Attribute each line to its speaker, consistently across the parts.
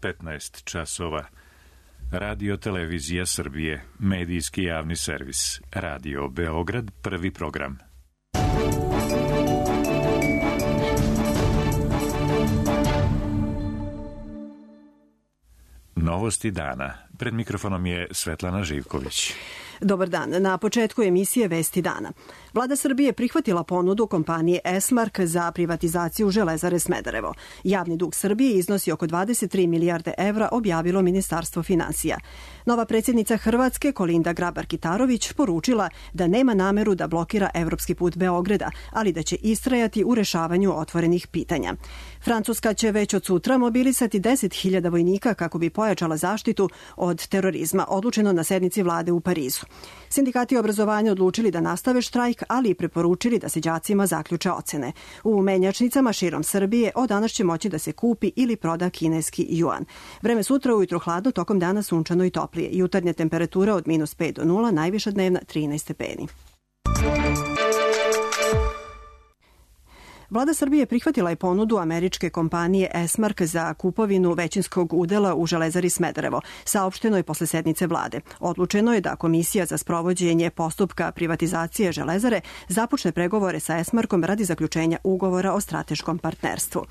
Speaker 1: 15 časova. Radio Televizija Srbije, medijski javni servis. Radio Beograd, prvi program. Novosti dana. Pred mikrofonom je Svetlana Živković.
Speaker 2: Dobar dan. Na početku emisije Vesti dana. Vlada Srbije prihvatila ponudu kompanije Esmark za privatizaciju Železare Smederevo. Javni dug Srbije iznosi oko 23 milijarde evra, objavilo Ministarstvo finansija. Nova predsjednica Hrvatske, Kolinda Grabar-Kitarović, poručila da nema nameru da blokira evropski put Beograda, ali da će istrajati u rešavanju otvorenih pitanja. Francuska će već od sutra mobilisati 10.000 vojnika kako bi pojačala zaštitu od terorizma, odlučeno na sednici vlade u Parizu. Sindikati obrazovanja odlučili da nastave štrajk, ali i preporučili da se đacima zaključe ocene. U menjačnicama širom Srbije od danas će moći da se kupi ili proda kineski juan. Vreme sutra ujutro hladno, tokom dana sunčano i toplije. Jutarnja temperatura od -5 do 0, najviša dnevna 13 stepeni. Vlada Srbije prihvatila je ponudu američke kompanije Esmark za kupovinu većinskog udela u Železari Smederevo. Saopšteno je posle sednice vlade. Odlučeno je da Komisija za sprovođenje postupka privatizacije Železare započne pregovore sa Esmarkom radi zaključenja ugovora o strateškom partnerstvu.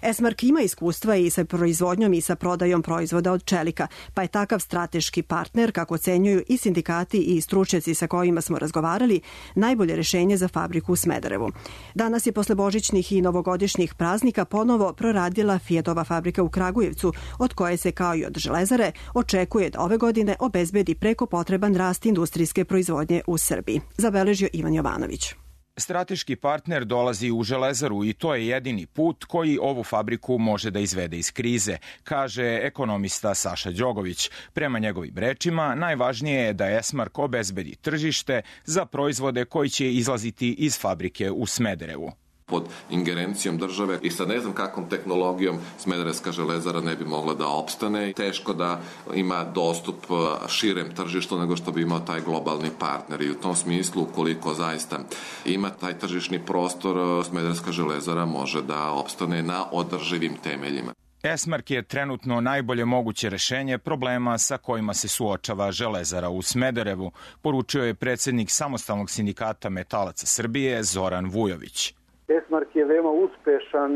Speaker 2: Esmark ima iskustva i sa proizvodnjom i sa prodajom proizvoda od čelika, pa je takav strateški partner, kako ocenjuju i sindikati i stručnjaci sa kojima smo razgovarali, najbolje rešenje za fabriku u Smederevu. Danas je posle božićnih i novogodišnjih praznika ponovo proradila Fiatova fabrika u Kragujevcu, od koje se, kao i od Železare, očekuje da ove godine obezbedi preko potreban rast industrijske proizvodnje u Srbiji. Zabeležio Ivan Jovanović.
Speaker 3: Strateški partner dolazi u Železaru i to je jedini put koji ovu fabriku može da izvede iz krize, kaže ekonomista Saša Đogović. Prema njegovim rečima, najvažnije je da Esmark obezbedi tržište za proizvode koji će izlaziti iz fabrike u Smederevu.
Speaker 4: Pod ingerencijom države i sa ne znam kakvom tehnologijom Smederevska železara ne bi mogla da opstane. Teško da ima dostup širem tržištu nego što bi imao taj globalni partner i u tom smislu ukoliko zaista ima taj tržišni prostor, Smederevska železara može da opstane na održivim temeljima.
Speaker 3: Esmark je trenutno najbolje moguće rešenje problema sa kojima se suočava Železara u Smederevu, poručio je predsjednik Samostalnog sindikata metalaca Srbije Zoran Vujović.
Speaker 5: Esmark je veoma uspešan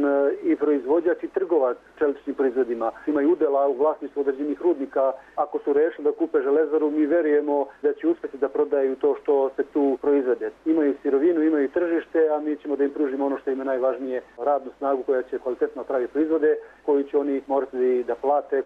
Speaker 5: i proizvođač i trgovac čeličnim proizvodima. Imaju udela u vlasništvu određenih rudnika. Ako su rešili da kupe Železaru, mi verujemo da će uspeti da prodaju to što se tu proizvede. Imaju sirovinu, imaju tržište, a mi ćemo da im pružimo ono što im je najvažnije, radnu snagu koja će kvalitetno praviti proizvode, koju će oni morati da plate.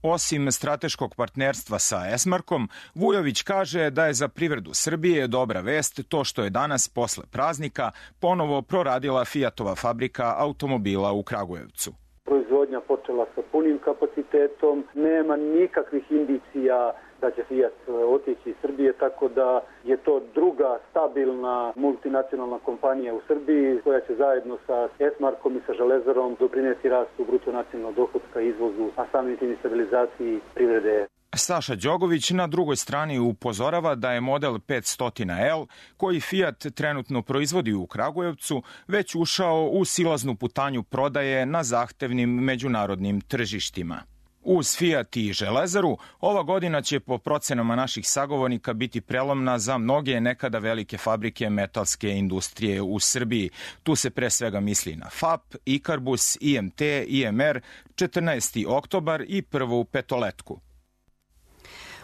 Speaker 3: Osim strateškog partnerstva sa Esmarkom, Vujović kaže da je za privredu Srbije dobra vest to što je danas posle praznika ponovo proradila Fiatova fabrika automobila u Kragujevcu.
Speaker 5: Proizvodnja počela sa punim kapacitetom, nema nikakvih indicija da će Fiat otići iz Srbije, tako da je to druga stabilna multinacionalna kompanija u Srbiji koja će zajedno sa Esmarkom i sa Železarom doprineti rastu bruto nacionalnog dohotka, izvozu, a samim tim i stabilizaciji privrede.
Speaker 3: Saša Đogović na drugoj strani upozorava da je model 500L, koji Fiat trenutno proizvodi u Kragujevcu, već ušao u silaznu putanju prodaje na zahtevnim međunarodnim tržištima. Uz Fiat i Železaru, ova godina će po procenama naših sagovornika biti prelomna za mnoge nekada velike fabrike metalske industrije u Srbiji. Tu se pre svega misli na FAP, Ikarbus, IMT, IMR, 14. oktobar i Prvu petoletku.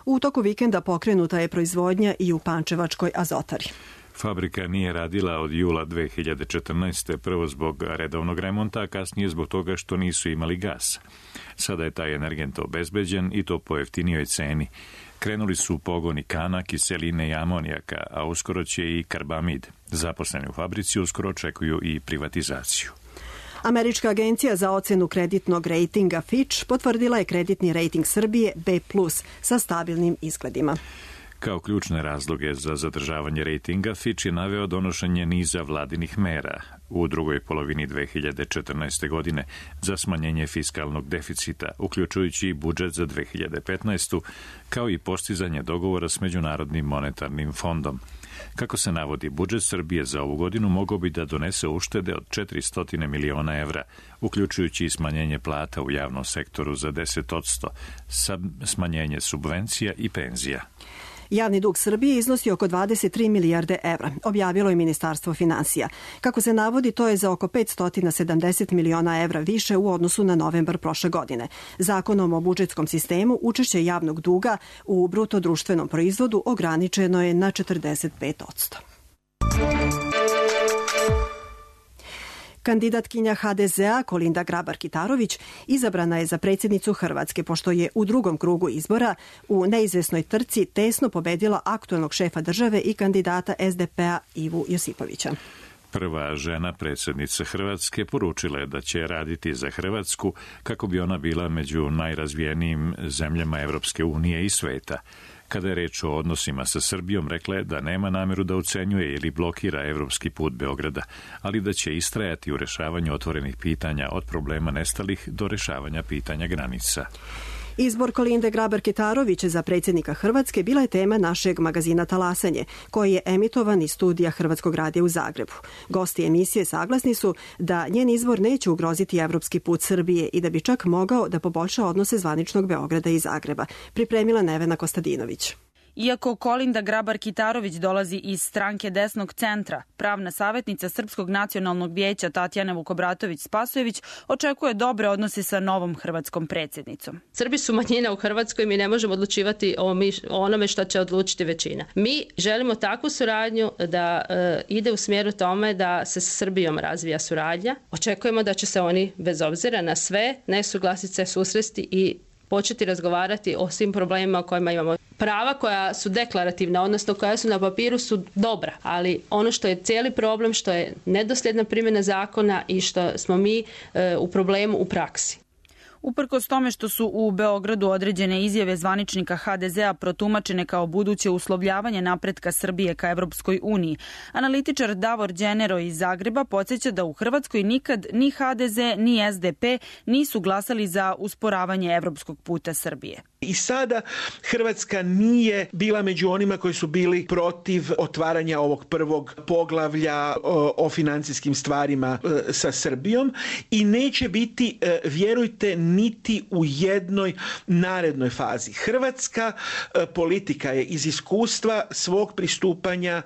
Speaker 2: U toku vikenda pokrenuta je proizvodnja i u Pančevačkoj Azotari.
Speaker 1: Fabrika nije radila od jula 2014. prvo zbog redovnog remonta, a kasnije zbog toga što nisu imali gas. Sada je taj energent obezbeđen i to po jeftinijoj ceni. Krenuli su pogoni kana, kiseline i amonijaka, a uskoro će i karbamid. Zaposleni u fabrici uskoro očekuju i privatizaciju.
Speaker 2: Američka agencija za ocenu kreditnog rejtinga Fitch potvrdila je kreditni rejting Srbije B+, sa stabilnim izgledima.
Speaker 1: Kao ključne razloge za zadržavanje rejtinga, Fitch je naveo donošenje niza vladinih mera u drugoj polovini 2014. godine za smanjenje fiskalnog deficita, uključujući i budžet za 2015. kao i postizanje dogovora s Međunarodnim monetarnim fondom. Kako se navodi, budžet Srbije za ovu godinu mogao bi da donese uštede od 400 miliona evra, uključujući i smanjenje plata u javnom sektoru za 10%, smanjenje subvencija i penzija.
Speaker 2: Javni dug Srbije iznosi oko 23 milijarde evra, objavilo je Ministarstvo finansija. Kako se navodi, to je za oko 570 miliona evra više u odnosu na novembar prošle godine. Zakonom o budžetskom sistemu učešće javnog duga u bruto društvenom proizvodu ograničeno je na 45%. Kandidatkinja HDZ-a Kolinda Grabar-Kitarović izabrana je za predsjednicu Hrvatske, pošto je u drugom krugu izbora u neizvesnoj trci tesno pobedila aktuelnog šefa države i kandidata SDP-a Ivu Josipovića.
Speaker 1: Prva žena predsjednica Hrvatske poručila je da će raditi za Hrvatsku kako bi ona bila među najrazvijenijim zemljama Evropske unije i sveta. Kada je reč o odnosima sa Srbijom, rekla je da nema nameru da ucenjuje ili blokira evropski put Beograda, ali da će istrajati u rešavanju otvorenih pitanja od problema nestalih do rešavanja pitanja granica.
Speaker 2: Izbor Kolinde Grabar-Kitarović za predsjednika Hrvatske bila je tema našeg magazina Talasanje, koji je emitovan iz studija Hrvatskog radija u Zagrebu. Gosti emisije saglasni su da njen izbor neće ugroziti evropski put Srbije i da bi čak mogao da poboljša odnose zvaničnog Beograda i Zagreba, pripremila Nevena Kostadinović.
Speaker 6: Iako Kolinda Grabar-Kitarović dolazi iz stranke desnog centra, pravna savjetnica Srpskog nacionalnog vijeća Tatjana Vukobratović-Spasojević očekuje dobre odnose sa novom hrvatskom predsjednicom.
Speaker 7: Srbi su manjina u Hrvatskoj, mi ne možemo odlučivati o onome što će odlučiti većina. Mi želimo takvu suradnju da ide u smjeru tome da se sa Srbijom razvija suradnja. Očekujemo da će se oni, bez obzira na sve nesuglasice, susresti i početi razgovarati o svim problemima o kojima imamo. Prava koja su deklarativna, odnosno koja su na papiru, su dobra, ali ono što je cijeli problem, što je nedosljedna primjena zakona i što smo mi u problemu u praksi.
Speaker 6: Uprkos tome što su u Beogradu određene izjave zvaničnika HDZ-a protumačene kao buduće uslovljavanje napretka Srbije ka Evropskoj uniji, analitičar Davor Đenero iz Zagreba podsjeća da u Hrvatskoj nikad ni HDZ ni SDP nisu glasali za usporavanje evropskog puta Srbije.
Speaker 8: I sada Hrvatska nije bila među onima koji su bili protiv otvaranja ovog prvog poglavlja o financijskim stvarima sa Srbijom i neće biti, vjerujte, niti u jednoj narednoj fazi. Hrvatska politika je iz iskustva svog pristupanja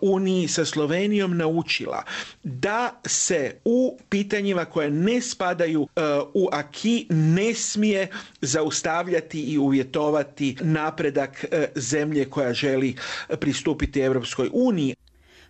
Speaker 8: Uniji sa Slovenijom naučila da se u pitanjima koje ne spadaju u aki ne smije zaustavljati i uvjetovati napredak zemlje koja želi pristupiti Evropskoj uniji.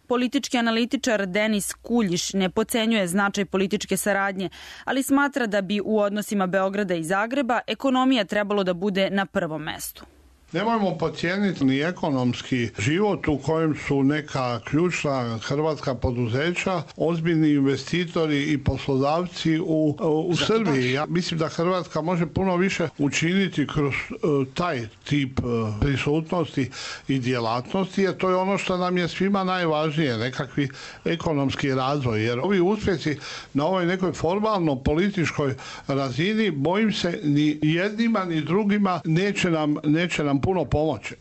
Speaker 6: Politički analitičar Denis Kuljiš ne podcenjuje značaj političke saradnje, ali smatra da bi u odnosima Beograda i Zagreba ekonomija trebalo da bude na prvom mestu.
Speaker 9: Nemojmo podcijeniti ni ekonomski život u kojem su neka ključna hrvatska poduzeća, ozbiljni investitori i poslodavci u Srbiji. Ja mislim da Hrvatska može puno više učiniti kroz taj tip prisutnosti i djelatnosti, jer to je ono što nam je svima najvažnije, nekakvi ekonomski razvoj. Jer ovi uspjesi na ovoj nekoj formalno političkoj razini, bojim se, ni jednima ni drugima neće nam puno pomoći.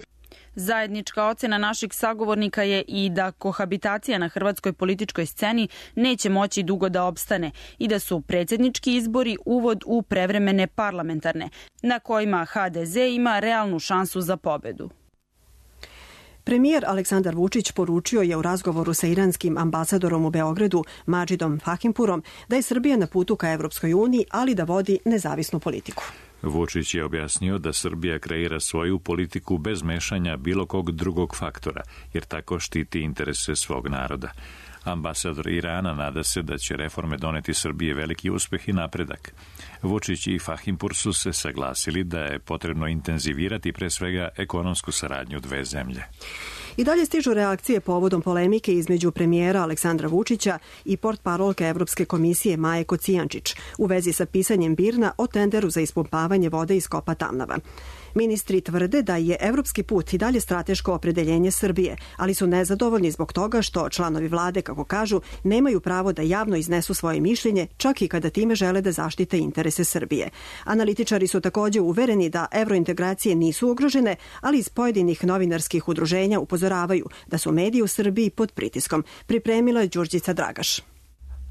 Speaker 6: Zajednička ocena naših sagovornika je i da kohabitacija na hrvatskoj političkoj sceni neće moći dugo da opstane i da su predsjednički izbori uvod u prevremene parlamentarne, na kojima HDZ ima realnu šansu za pobedu.
Speaker 2: Premijer Aleksandar Vučić poručio je u razgovoru sa iranskim ambasadorom u Beogradu, Madžidom Fahimpurom, da je Srbija na putu ka Evropskoj uniji, ali da vodi nezavisnu politiku.
Speaker 1: Vučić je objasnio da Srbija kreira svoju politiku bez mešanja bilo kog drugog faktora, jer tako štiti interese svog naroda. Ambasador Irana nada se da će reforme doneti Srbije veliki uspeh i napredak. Vučić i Fahimpur su se saglasili da je potrebno intenzivirati pre svega ekonomsku saradnju dve zemlje.
Speaker 2: I dalje stižu reakcije povodom polemike između premijera Aleksandra Vučića i portparolke Evropske komisije Maje Kocijančić u vezi sa pisanjem BIRN-a o tenderu za ispumpavanje vode iz kopa Tamnava. Ministri tvrde da je evropski put i dalje strateško opredeljenje Srbije, ali su nezadovoljni zbog toga što članovi vlade, kako kažu, nemaju pravo da javno iznesu svoje mišljenje, čak i kada time žele da zaštite interese Srbije. Analitičari su takođe uvereni da evrointegracije nisu ugrožene, ali iz pojedinih novinarskih udruženja upozoravaju da su mediji u Srbiji pod pritiskom. Pripremila je Đurđica Dragaš.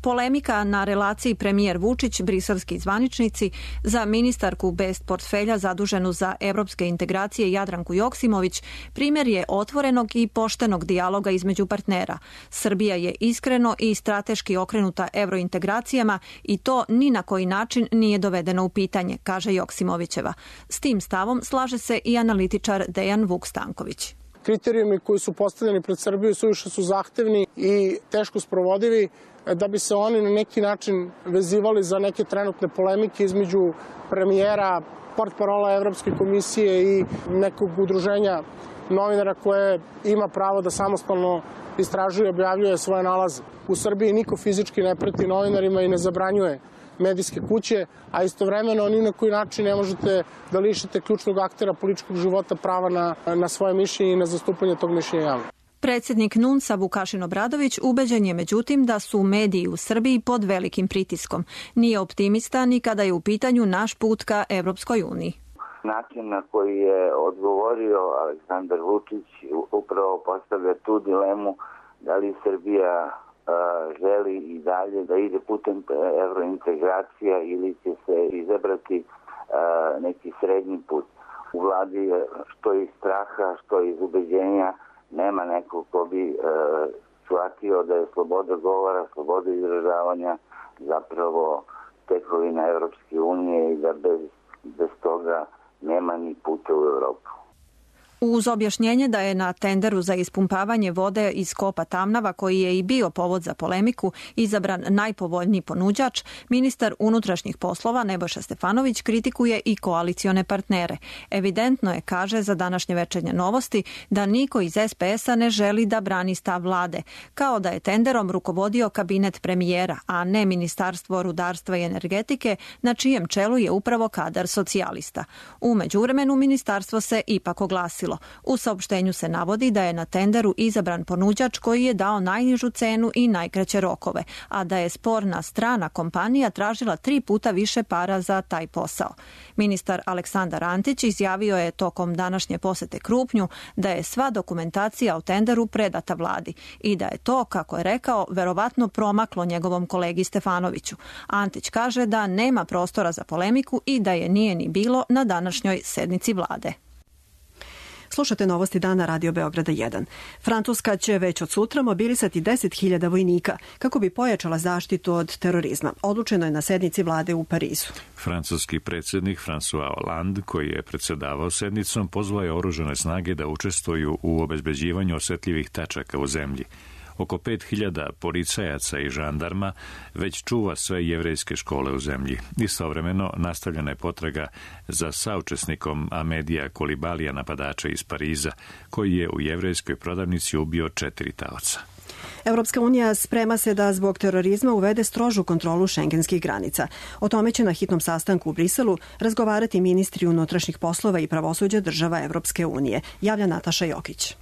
Speaker 10: Polemika na relaciji premijer Vučić, briselski zvaničnici, za ministarku bez portfelja zaduženu za evropske integracije Jadranku Joksimović primjer je otvorenog i poštenog dijaloga između partnera. Srbija je iskreno i strateški okrenuta evrointegracijama i to ni na koji način nije dovedeno u pitanje, kaže Joksimovićeva. S tim stavom slaže se i analitičar Dejan Vuk-Stanković.
Speaker 11: Kriterijumi koji su postavljeni pred Srbiju suviše su zahtevni i teško sprovodivi da bi se oni na neki način vezivali za neke trenutne polemike između premijera, portparola Evropske komisije i nekog udruženja novinara koje ima pravo da samostalno istražuje i objavljuje svoje nalaze. U Srbiji niko fizički ne preti novinarima i ne zabranjuje medijske kuće, a istovremeno ni na koji način ne možete da lišite ključnog aktera političkog života prava na svoje mišljenje i na zastupanje tog mišljenja javno.
Speaker 10: Predsjednik NUNS-a Vukašin Obradović ubeđen je međutim da su mediji u Srbiji pod velikim pritiskom. Nije optimista ni kada je u pitanju naš put ka Evropskoj uniji.
Speaker 12: Način na koji je odgovorio Aleksandar Vučić upravo postavlja tu dilemu da li Srbija želi i dalje da ide putem evrointegracija ili će se izabrati neki srednji put. U vladi što iz straha, što iz ubeđenja nema nekog ko bi shvatio da je sloboda govora, sloboda izražavanja zapravo tekovina Evropske unije i da bez toga nema ni puta u Evropu.
Speaker 10: Uz objašnjenje da je na tenderu za ispumpavanje vode iz kopa Tamnava, koji je i bio povod za polemiku, izabran najpovoljniji ponuđač, ministar unutrašnjih poslova Nebojša Stefanović kritikuje i koalicione partnere. Evidentno je, kaže za današnje Večernje novosti, da niko iz SPS-a ne želi da brani stav vlade, kao da je tenderom rukovodio kabinet premijera, a ne Ministarstvo rudarstva i energetike, na čijem čelu je upravo kadar socijalista. U međuvremenu ministarstvo se ipak oglasilo. U saopštenju se navodi da je na tenderu izabran ponuđač koji je dao najnižu cenu i najkraće rokove, a da je sporna strana kompanija tražila 3 puta više para za taj posao. Ministar Aleksandar Antić izjavio je tokom današnje posete Krupnju da je sva dokumentacija o tenderu predata vladi i da je to, kako je rekao, verovatno promaklo njegovom kolegi Stefanoviću. Antić kaže da nema prostora za polemiku i da je nije ni bilo na današnjoj sednici vlade.
Speaker 2: Slušate novosti dana Radio Beograda 1. Francuska će već od sutra mobilisati 10.000 vojnika kako bi pojačala zaštitu od terorizma. Odlučeno je na sednici vlade u Parizu.
Speaker 1: Francuski predsjednik François Hollande, koji je predsjedavao sednicom, pozvao je oružane snage da učestvuju u obezbeđivanju osetljivih tačaka u zemlji. Oko 5.000 policajaca i žandarma već čuva sve jevrejske škole u zemlji. Istovremeno nastavljena je potraga za saučesnikom Amedija Kolibalija, napadača iz Pariza, koji je u jevrejskoj prodavnici ubio 4 taoca.
Speaker 2: Evropska unija sprema se da zbog terorizma uvede strožu kontrolu šengenskih granica. O tome će na hitnom sastanku u Briselu razgovarati ministri unutrašnjih poslova i pravosuđa država Evropske unije, javlja Nataša Jokić.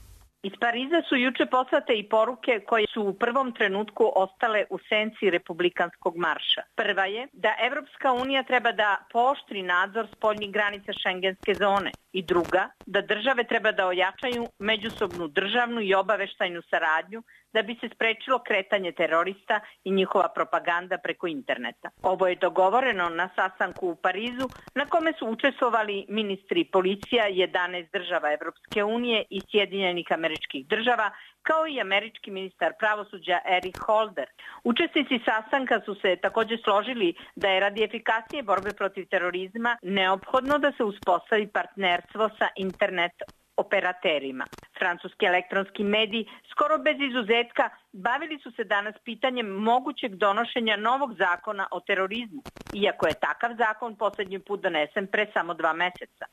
Speaker 13: Iz Pariza su juče poslate i poruke koje su u prvom trenutku ostale u senci republikanskog marša. Prva je da Evropska unija treba da pooštri nadzor spoljnih granica šengenske zone i druga da države treba da ojačaju međusobnu državnu i obaveštajnu saradnju da bi se sprečilo kretanje terorista i njihova propaganda preko interneta. Ovo je dogovoreno na sastanku u Parizu na kome su učestvovali ministri policija 11 država Evropske unije i Sjedinjenih Američkih Država, kao i američki ministar pravosuđa Eric Holder. Učesnici sastanka su se također složili da je radi efikasnije borbe protiv terorizma neophodno da se uspostavi partnerstvo sa internet operaterima. Francuski elektronski mediji skoro bez izuzetka bavili su se danas pitanjem mogućeg donošenja novog zakona o terorizmu, iako je takav zakon posljednji put donesen pre samo 2 meseca.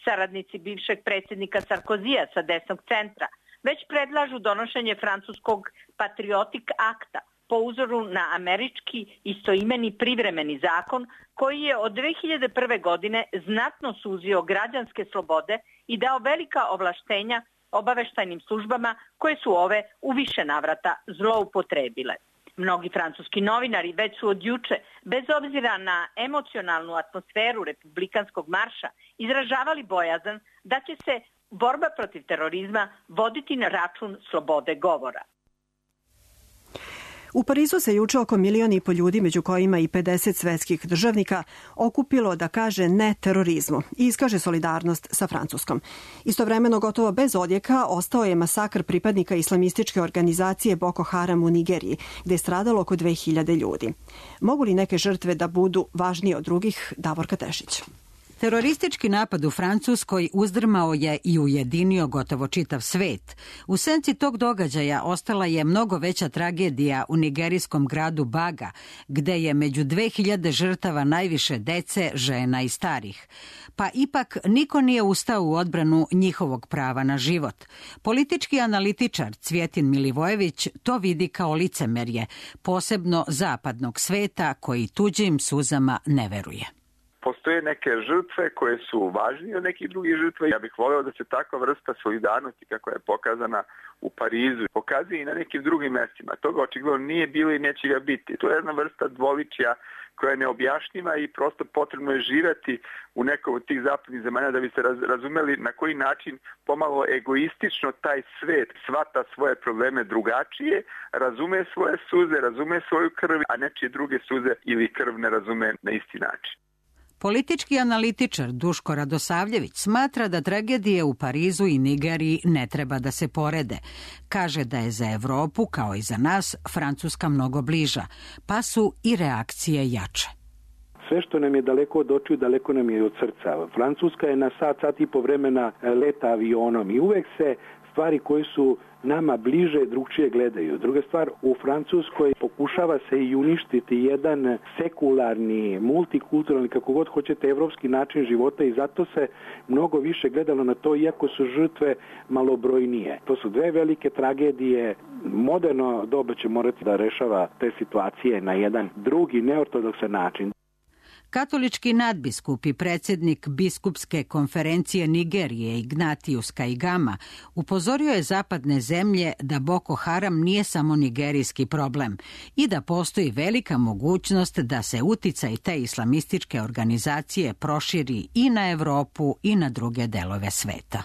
Speaker 13: Saradnici bivšeg predsjednika Sarkozija sa desnog centra već predlažu donošenje francuskog Patriotic Akta po uzoru na američki istoimeni privremeni zakon koji je od 2001. godine znatno suzio građanske slobode i dao velika ovlaštenja obaveštajnim službama koje su ove u više navrata zloupotrebile. Mnogi francuski novinari već su od juče, bez obzira na emocionalnu atmosferu republikanskog marša, izražavali bojazan da će se borba protiv terorizma voditi na račun slobode govora.
Speaker 2: U Parizu se juče oko 1,5 miliona ljudi, među kojima i 50 svetskih državnika, okupilo da kaže ne terorizmu i iskaže solidarnost sa Francuskom. Istovremeno, gotovo bez odjeka, ostao je masakr pripadnika islamističke organizacije Boko Haram u Nigeriji, gde je stradalo oko 2000 ljudi. Mogu li neke žrtve da budu važnije od drugih? Davorka Tešić.
Speaker 14: Teroristički napad u Francuskoj uzdrmao je i ujedinio gotovo čitav svet. U senci tog događaja ostala je mnogo veća tragedija u nigerijskom gradu Baga, gde je među 2000 žrtava najviše dece, žena i starih. Pa ipak niko nije ustao u odbranu njihovog prava na život. Politički analitičar Cvjetin Milivojević to vidi kao licemerje, posebno zapadnog sveta koji tuđim suzama ne veruje.
Speaker 15: Postoje neke žrtve koje su važnije od nekih drugih žrtva. Ja bih voleo da se takva vrsta solidarnosti kako je pokazana u Parizu pokazuje i na nekim drugim mestima. Toga očigledno nije bilo i neće ga biti. To je jedna vrsta dvoličja koja je neobjašnjiva i prosto potrebno je živjeti u nekom od tih zapadnih zemalja da bi se razumeli na koji način pomalo egoistično taj svet shvata svoje probleme drugačije, razume svoje suze, razume svoju krv, a nečije druge suze ili krv ne razume na isti način.
Speaker 14: Politički analitičar Duško Radosavljević smatra da tragedije u Parizu i Nigeriji ne treba da se porede. Kaže da je za Evropu, kao i za nas, Francuska mnogo bliža, pa su i reakcije jače.
Speaker 16: Sve što nam je daleko od očiju, daleko nam je od srca. Francuska je na sat i po vremena leta avionom i uvek se stvari koje su nama bliže drugčije gledaju. Druga stvar, u Francuskoj pokušava se i uništiti jedan sekularni, multikulturalni, kako god hoćete, evropski način života i zato se mnogo više gledalo na to, iako su žrtve malobrojnije. To su dve velike tragedije. Moderno doba će morati da rešava te situacije na jedan drugi, neortodoksan način.
Speaker 14: Katolički nadbiskup i predsjednik biskupske konferencije Nigerije Ignatius Kaigama upozorio je zapadne zemlje da Boko Haram nije samo nigerijski problem i da postoji velika mogućnost da se uticaj te islamističke organizacije proširi i na Evropu i na druge delove sveta.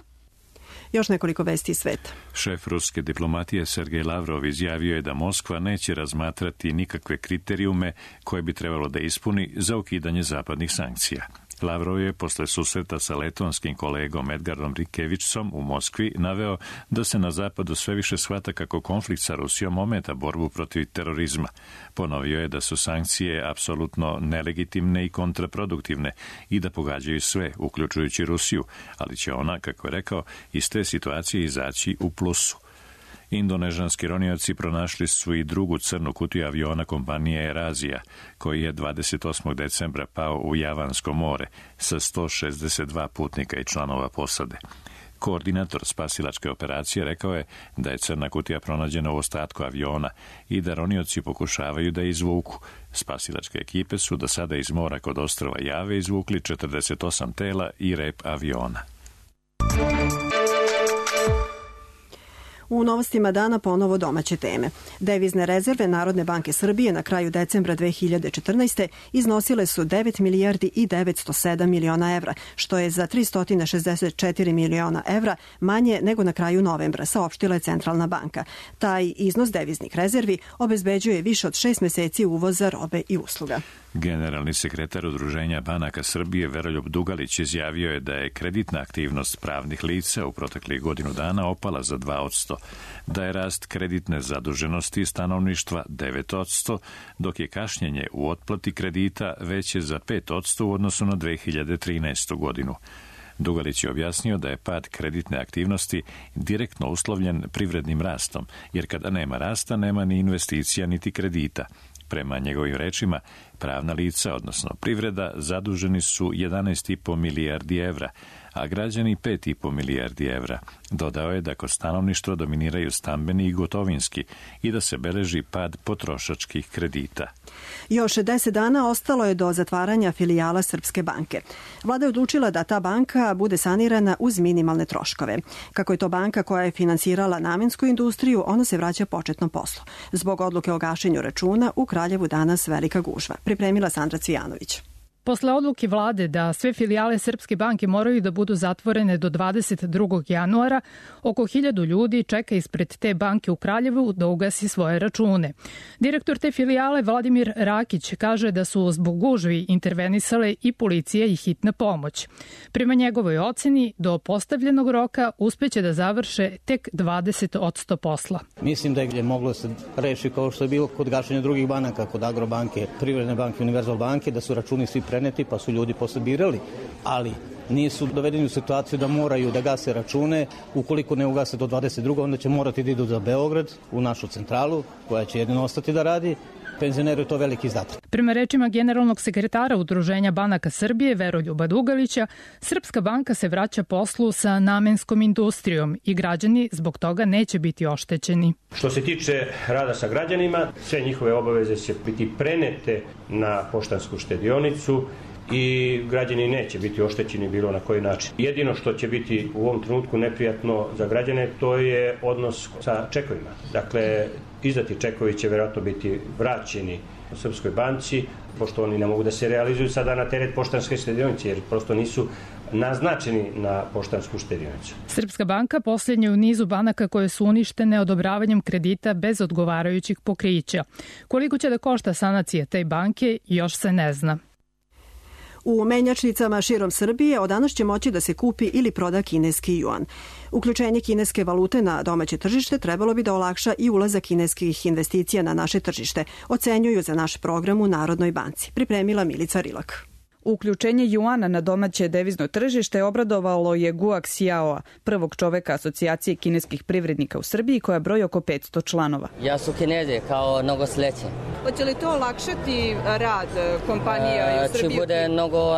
Speaker 2: Još nekoliko vesti iz sveta.
Speaker 1: Šef ruske diplomatije Sergej Lavrov izjavio je da Moskva neće razmatrati nikakve kriterijume koje bi trebalo da ispuni za ukidanje zapadnih sankcija. Lavrov je posle susreta sa letonskim kolegom Edgarom Rikevićom u Moskvi naveo da se na zapadu sve više shvata kako konflikt sa Rusijom ometa borbu protiv terorizma. Ponovio je da su sankcije apsolutno nelegitimne i kontraproduktivne i da pogađaju sve, uključujući Rusiju, ali će ona, kako je rekao, iz te situacije izaći u plusu. Indonežanski ronioci pronašli su i drugu crnu kutiju aviona kompanije Air-Asia, koji je 28. decembra pao u Javansko more sa 162 putnika i članova posade. Koordinator spasilačke operacije rekao je da je crna kutija pronađena u ostatku aviona i da ronioci pokušavaju da je izvuku. Spasilačke ekipe su do sada iz mora kod ostrva Jave izvukli 48 tela i rep aviona.
Speaker 2: U novostima dana ponovo domaće teme. Devizne rezerve Narodne banke Srbije na kraju decembra 2014. iznosile su 9 milijardi i 907 miliona evra, što je za 364 miliona evra manje nego na kraju novembra, saopštila je Centralna banka. Taj iznos deviznih rezervi obezbeđuje više od 6 meseci uvoza robe i usluga.
Speaker 1: Generalni sekretar Udruženja banaka Srbije Veroljub Dugalić izjavio je da je kreditna aktivnost pravnih lica u proteklih godinu dana opala za 2%, da je rast kreditne zaduženosti stanovništva 9%, dok je kašnjenje u otplati kredita veće za 5% u odnosu na 2013. godinu. Dugalić je objasnio da je pad kreditne aktivnosti direktno uslovljen privrednim rastom, jer kada nema rasta, nema ni investicija niti kredita. Prema njegovim rečima, pravna lica, odnosno privreda, zaduženi su 11,5 milijardi evra, a građani 5,5 milijardi evra. Dodao je da kod stanovništva dominiraju stambeni i gotovinski i da se beleži pad potrošačkih kredita.
Speaker 2: Još 10 dana ostalo je do zatvaranja filijala Srpske banke. Vlada je odlučila da ta banka bude sanirana uz minimalne troškove. Kako je to banka koja je finansirala namensku industriju, ona se vraća početnom poslu. Zbog odluke o gašenju računa u Kraljevu danas velika gužva. Pripremila Sandra Cvijanović.
Speaker 17: Posle odluke vlade da sve filijale Srpske banke moraju da budu zatvorene do 22. januara, oko 1000 ljudi čeka ispred te banke u Kraljevu da ugasi svoje račune. Direktor te filijale Vladimir Rakić kaže da su zbog gužvi intervenisale i policija i hitna pomoć. Prema njegovoj oceni, do postavljenog roka uspeće da završe tek 20% posla.
Speaker 18: Mislim da je moglo se reši kao što je bilo kod gašenja drugih banaka, kod Agrobanke, Privredne banke, Univerzal banke, da su računi svi preneti pa su ljudi posle birali, ali nisu dovedeni u situaciju da moraju da gase račune. Ukoliko ne ugase do 22. onda će morati da idu za Beograd, u našu centralu, koja će jedino ostati da radi. Penzioneru je to veliki izdatak.
Speaker 17: Prema rečima generalnog sekretara Udruženja banaka Srbije, Veroljuba Dugalića, Srpska banka se vraća poslu sa namenskom industrijom i građani zbog toga neće biti oštećeni.
Speaker 19: Što se tiče rada sa građanima, sve njihove obaveze će biti prenete na poštansku štedionicu i građani neće biti oštećeni bilo na koji način. Jedino što će biti u ovom trenutku neprijatno za građane, to je odnos sa čekovima. Dakle, izdati čekovi će vjerojatno biti vraćeni u Srpskoj banci, pošto oni ne mogu da se realizuju sada na teret poštanske štedionice, jer prosto nisu naznačeni na poštansku štedionicu.
Speaker 17: Srpska banka posljednja u nizu banaka koje su uništene odobravanjem kredita bez odgovarajućih pokrića. Koliko će da košta sanacija te banke, još se ne zna.
Speaker 2: U menjačnicama širom Srbije od danas će moći da se kupi ili proda kineski juan. Uključenje kineske valute na domaće tržište trebalo bi da olakša i ulazak kineskih investicija na naše tržište, ocenjuju za naš program u Narodnoj banci. Pripremila Milica Rilak.
Speaker 6: Uključenje juana na domaće devizno tržište obradovalo je Guo Xiaoa, prvog čoveka asocijacije kineskih privrednika u Srbiji koja broji oko 500 članova.
Speaker 20: Ja su Kineze kao mnogo sleće.
Speaker 21: Hoće li to olakšati rad kompanija u Srbiji?
Speaker 20: Će bude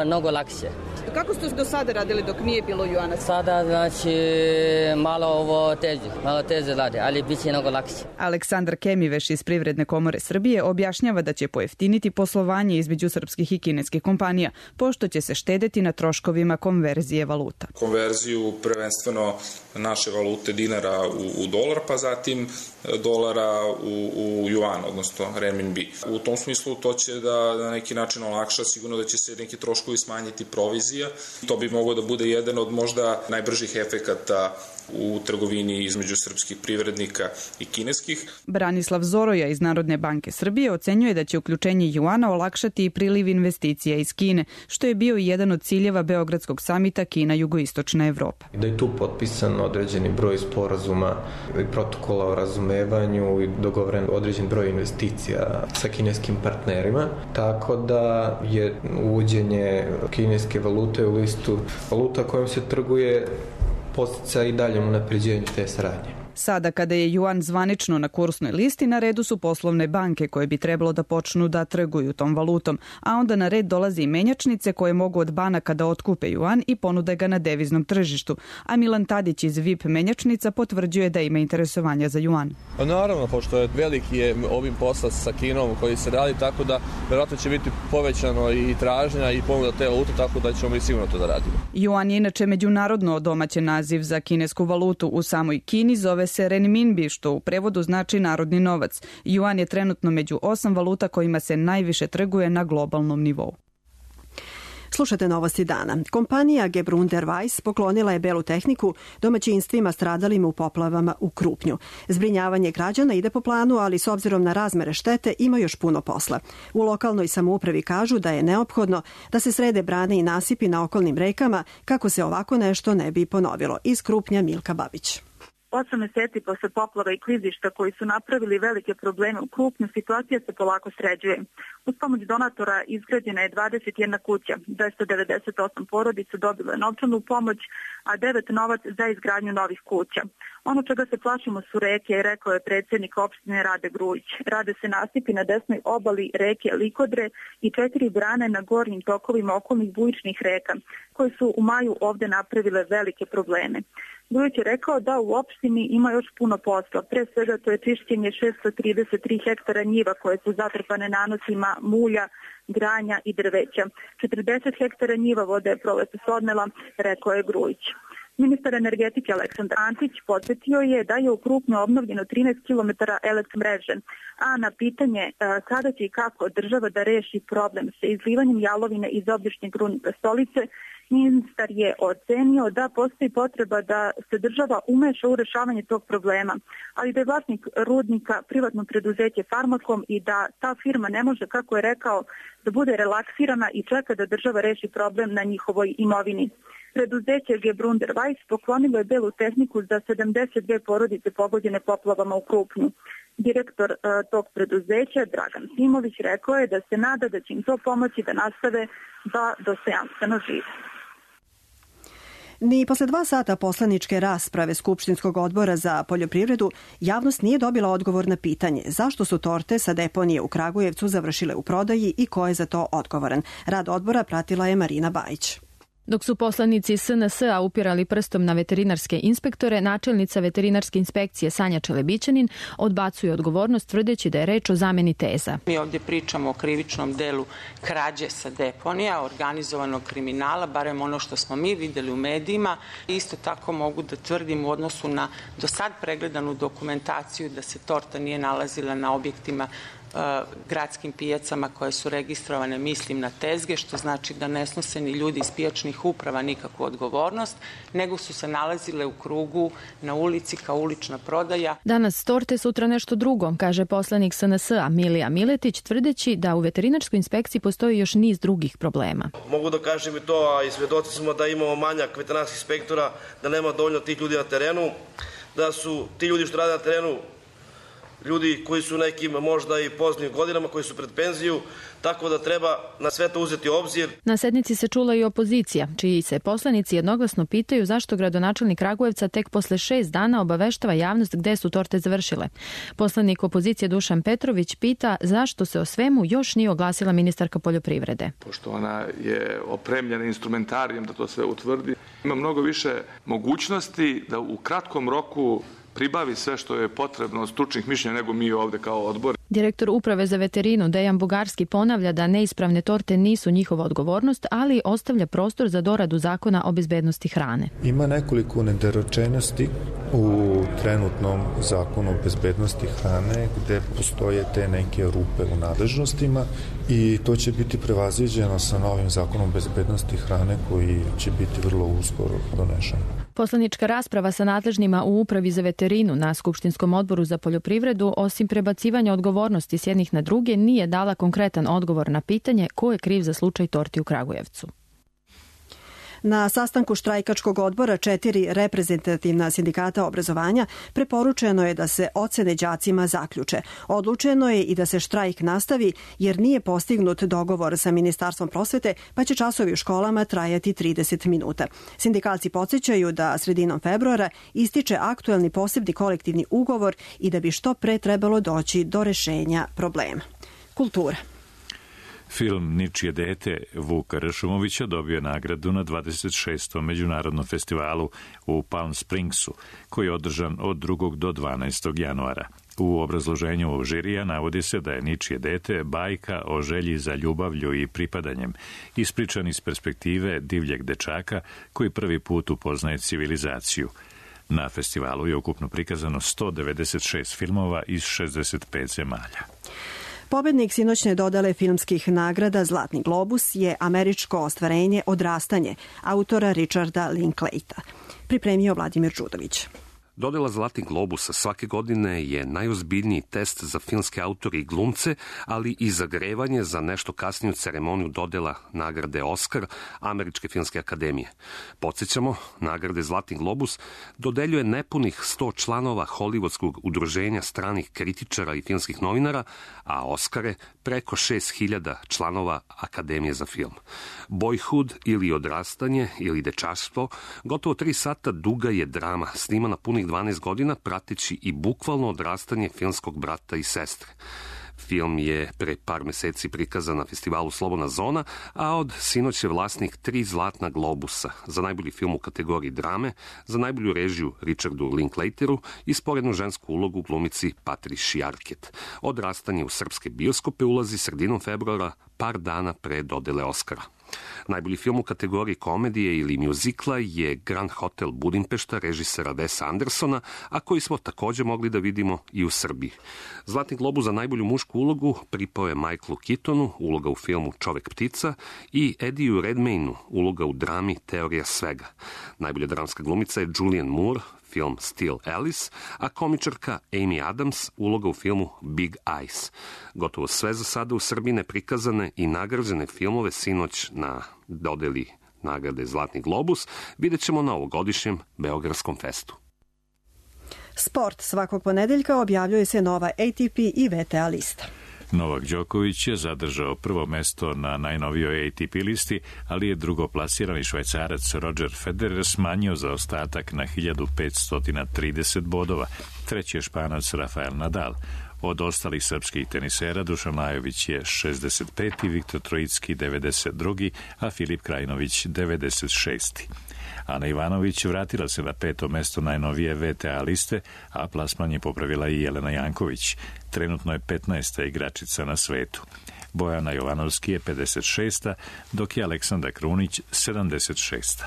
Speaker 20: mnogo lakše.
Speaker 21: Kako ste do sada radili dok nije bilo juana?
Speaker 20: Sada znači malo teže rade, ali bit će mnogo lakše.
Speaker 6: Aleksandar Kemiveš iz Privredne komore Srbije objašnjava da će pojeftiniti poslovanje između srpskih i kineskih kompanija, pošto će se štedeti na troškovima konverzije valuta.
Speaker 22: Konverziju prvenstveno naše valute dinara u dolar, pa zatim dolara u juan, odnosno renminbi. U tom smislu to će da na neki način olakša, sigurno da će se neki troškovi smanjiti, provizija. To bi moglo da bude jedan od možda najbržih efekata u trgovini između srpskih privrednika i kineskih.
Speaker 6: Branislav Zoroja iz Narodne banke Srbije ocenjuje da će uključenje juana olakšati i priliv investicija iz Kine, što je bio i jedan od ciljeva Beogradskog samita Kina-Jugoistočna Evropa.
Speaker 23: Da je tu potpisan određeni broj sporazuma i protokola o razumevanju i dogovoren određen broj investicija sa kineskim partnerima, tako da je uvođenje kineske valute u listu valuta kojom se trguje postica i daljem unapređenju te saradnje.
Speaker 6: Sada kada je juan zvanično na kursnoj listi, na redu su poslovne banke koje bi trebalo da počnu da trguju tom valutom, a onda na red dolaze i menjačnice koje mogu od banaka da otkupe juan i ponude ga na deviznom tržištu. A Milan Tadić iz VIP menjačnica potvrđuje da ima interesovanja za juan.
Speaker 24: Naravno, pošto je veliki je obim posla sa Kinom koji se radi, tako da verovatno će biti povećano i tražnja i ponuda te valute, tako da ćemo mi sigurno to da radimo.
Speaker 6: Juan je inače međunarodno domaćin naziv za kinesku valutu. U samoj Kini zove se renminbi, što u prevodu znači narodni novac. Juan je trenutno među 8 valuta kojima se najviše trguje na globalnom nivou.
Speaker 2: Slušate novosti dana. Kompanija Gebrauner Weiss poklonila je belu tehniku domaćinstvima stradalim u poplavama u Krupnju. Zbrinjavanje građana ide po planu, ali s obzirom na razmere štete ima još puno posla. U lokalnoj samoupravi kažu da je neophodno da se srede brane i nasipi na okolnim rekama kako se ovako nešto ne bi ponovilo. Iz Krupnja Milka Babić.
Speaker 25: 8 meseci posle poplava i klizišta koji su napravili velike probleme u Krupnju, situacija se polako sređuje. Uz pomoć donatora izgrađena je 21 kuća, 298 porodica dobilo je novčanu pomoć, a 9 novac za izgradnju novih kuća. Ono čega se plašimo su reke, rekao je predsjednik opštine Rade Grujić. Rade se nasipi na desnoj obali reke Likodre i 4 brane na gornjim tokovima okolnih bujičnih reka, koje su u maju ovde napravile velike probleme. Grujić je rekao da u opštini ima još puno posla. Pre svega to je čišćenje 633 hektara njiva koje su zatrpane nanosima mulja, granja i drveća. 40 hektara njiva voda je proletos odnela, rekao je Grujić. Ministar energetike Aleksandar Antić podsjetio je da je u Krupnju obnovljeno 13 km elektromreže, a na pitanje kada će i kako država da reši problem sa izlivanjem jalovine iz obližnjeg rudnika Stolice, ministar je ocenio da postoji potreba da se država umeša u rešavanje tog problema, ali da je vlasnik rudnika privatno preduzeće Farmakom i da ta firma ne može, kako je rekao, da bude relaksirana i čeka da država reši problem na njihovoj imovini. Preduzeće Gebrunder Weiss poklonilo je belu tehniku za 72 porodice pogođene poplavama u Krupnju. Direktor tog preduzeća, Dragan Simović, rekao je da se nada da će im to pomoći da nastave da dostojanstveno žive.
Speaker 2: Ni posle 2 sata poslaničke rasprave Skupštinskog odbora za poljoprivredu javnost nije dobila odgovor na pitanje zašto su torte sa deponije u Kragujevcu završile u prodaji i ko je za to odgovoran. Rad odbora pratila je Marina Bajić.
Speaker 3: Dok su poslanici SNS-a upirali prstom na veterinarske inspektore, načelnica veterinarske inspekcije Sanja Čelebićanin odbacuje odgovornost tvrdeći da je reč o zameni teza.
Speaker 4: Mi ovdje pričamo o krivičnom delu krađe sa deponija, organizovanog kriminala, barem ono što smo mi videli u medijima. Isto tako mogu da tvrdim u odnosu na do sad pregledanu dokumentaciju da se torta nije nalazila na objektima gradskim pijacama koje su registrovane, mislim na tezge, što znači da ne snose ni ljudi iz pijačnih uprava nikakvu odgovornost, nego su se nalazile u krugu na ulici kao ulična prodaja.
Speaker 3: Danas torte, sutra nešto drugo, kaže poslanik SNS-a Milija Miletić, tvrdeći da u veterinarskoj inspekciji postoji još niz drugih problema.
Speaker 5: Mogu da kažem i to, a i svedoci smo da imamo manjak veterinarskih inspektora, da nema dovoljno tih ljudi na terenu, da su ti ljudi što rade na terenu ljudi koji su nekim možda i poznim godinama, koji su pred penziju, tako da treba na sve to uzeti u obzir.
Speaker 3: Na sednici se čula i opozicija, čiji se poslanici jednoglasno pitaju zašto gradonačelnik Kragujevca tek posle 6 dana obaveštava javnost gde su torte završile. Poslanik opozicije Dušan Petrović pita zašto se o svemu još nije oglasila ministarka poljoprivrede.
Speaker 7: Pošto ona je opremljena instrumentarijem da to sve utvrdi, ima mnogo više mogućnosti da u kratkom roku pribavi sve što je potrebno od stručnih mišljenja nego mi ovde kao odbor.
Speaker 3: Direktor Uprave za veterinu Dejan Bugarski ponavlja da neispravne torte nisu njihova odgovornost, ali ostavlja prostor za doradu zakona o bezbednosti hrane.
Speaker 8: Ima nekoliko nedorečenosti u trenutnom zakonu o bezbednosti hrane gde postoje te neke rupe u nadležnostima i to će biti prevaziđeno sa novim zakonom o bezbednosti hrane koji će biti vrlo uskoro donešen.
Speaker 3: Poslanička rasprava sa nadležnima u Upravi za veterinu na Skupštinskom odboru za poljoprivredu, osim prebacivanja odgovornosti s jednih na druge, nije dala konkretan odgovor na pitanje ko je kriv za slučaj torti u Kragujevcu.
Speaker 2: Na sastanku štrajkačkog odbora 4 reprezentativna sindikata obrazovanja preporučeno je da se ocene đacima zaključe. Odlučeno je i da se štrajk nastavi jer nije postignut dogovor sa Ministarstvom prosvete, pa će časovi u školama trajati 30 minuta. Sindikalci podsjećaju da sredinom februara ističe aktuelni posebni kolektivni ugovor i da bi što pre trebalo doći do rešenja problema. Kultura.
Speaker 1: Film Ničije dete Vuka Ršumovića dobio je nagradu na 26. međunarodnom festivalu u Palm Springsu, koji je održan od 2. do 12. januara. U obrazloženju ovog žirija navodi se da je Ničije dete bajka o želji za ljubavlju i pripadanjem, ispričan iz perspektive divljeg dečaka koji prvi put upoznaje civilizaciju. Na festivalu je ukupno prikazano 196 filmova iz 65 zemalja.
Speaker 2: Pobednik sinoćne dodale filmskih nagrada Zlatni globus je američko ostvarenje Odrastanje autora Richarda Linklejta. Pripremio Vladimir Đudović.
Speaker 9: Dodela Zlatnih globusa svake godine je najozbiljniji test za filmske autore i glumce, ali i zagrevanje za nešto kasniju ceremoniju dodela nagrade Oskar Američke filmske akademije. Podsjećamo, nagrade Zlatni globus dodeljuje nepunih 100 članova Hollywoodskog udruženja stranih kritičara i filmskih novinara, a Oskare preko 6000 članova Akademije za film. Boyhood ili odrastanje ili dečaštvo, gotovo 3 sata duga je drama, snimana punih 12 godina, prateći i bukvalno odrastanje filmskog brata i sestre. Film je pre par meseci prikazan na festivalu Slobodna zona, a od sinoć je vlasnik 3 Zlatna globusa za najbolji film u kategoriji drame, za najbolju režiju Richardu Linklateru i sporednu žensku ulogu glumici Patricia Arquette. Odrastanje u srpske bioskope ulazi sredinom februara, par dana pre dodele Oskara. Najbolji film u kategoriji komedije ili mjuzikla je Grand Hotel Budimpešta režisera Wesa Andersona, a koji smo također mogli da vidimo i u Srbiji. Zlatni globus za najbolju mušku ulogu pripao je Michaelu Keatonu, uloga u filmu Čovek ptica, i Eddieju Redmaynu, uloga u drami Teorija svega. Najbolja dramska glumica je Julianne Moore, film Still Alice, a komičarka Amy Adams, uloga u filmu Big Eyes. Gotovo sve za sada u Srbiji neprikazane i nagrađene filmove sinoć na dodeli nagrade Zlatni globus vidjet ćemo na ovogodišnjem Beogradskom festu.
Speaker 2: Sport. Svakog ponedeljka objavljuje se nova ATP i VTA lista.
Speaker 1: Novak Đoković je zadržao prvo mesto na najnovijoj ATP listi, ali je drugoplasirani Švajcarac Roger Federer smanjio zaostatak na 1530 bodova. Treći je Španac Rafael Nadal. Od ostalih srpskih tenisera Dušan Lajović je 65. Viktor Trojicki 92. a Filip Krajinović 96. Ana Ivanović vratila se na 5. mesto najnovije VTA liste, a plasman je popravila i Jelena Janković. Trenutno je 15. igračica na svetu. Bojana Jovanovski je 56. dok je Aleksandra Krunić 76.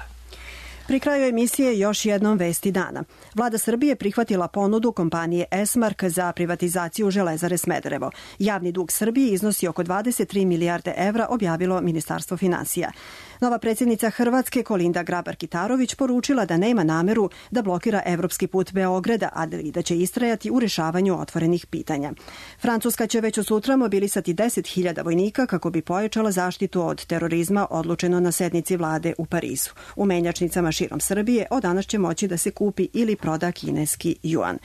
Speaker 2: Pri kraju emisije još jednom vesti dana. Vlada Srbije prihvatila ponudu kompanije Esmark za privatizaciju Železare Smederevo. Javni dug Srbije iznosi oko 23 milijarde evra, objavilo Ministarstvo finansija. Nova predsjednica Hrvatske Kolinda Grabar-Kitarović poručila da nema nameru da blokira evropski put Beograda, ali da će istrajati u rješavanju otvorenih pitanja. Francuska će već od sutra mobilisati 10.000 vojnika kako bi pojačala zaštitu od terorizma, odlučeno na sednici vlade u Parizu. U menjačnicama širom Srbije od danas će moći da se kupi ili proda kineski juan.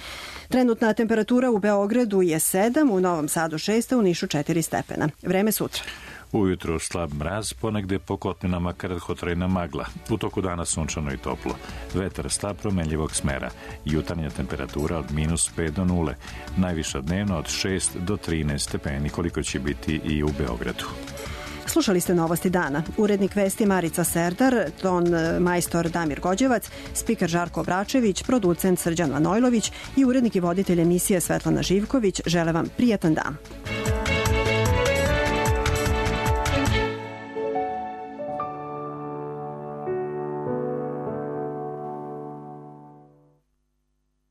Speaker 2: Trenutna temperatura u Beogradu je 7, u Novom Sadu 6, u Nišu 4 stepena. Vreme sutra.
Speaker 1: Ujutro slab mraz, ponegde po kotlinama kratkotrajna magla. U toku dana sunčano i toplo. Vetar slab promenljivog smera. Jutarnja temperatura od -5 do 0. Najviša dnevno od 6 do 13 stepeni, koliko će biti i u Beogradu.
Speaker 2: Slušali ste Novosti dana. Urednik vesti Marica Serdar, ton majstor Damir Gođevac, spiker Žarko Bračević, producent Srđan Manojlović i urednik i voditelj emisije Svetlana Živković. Žele vam prijatan dan.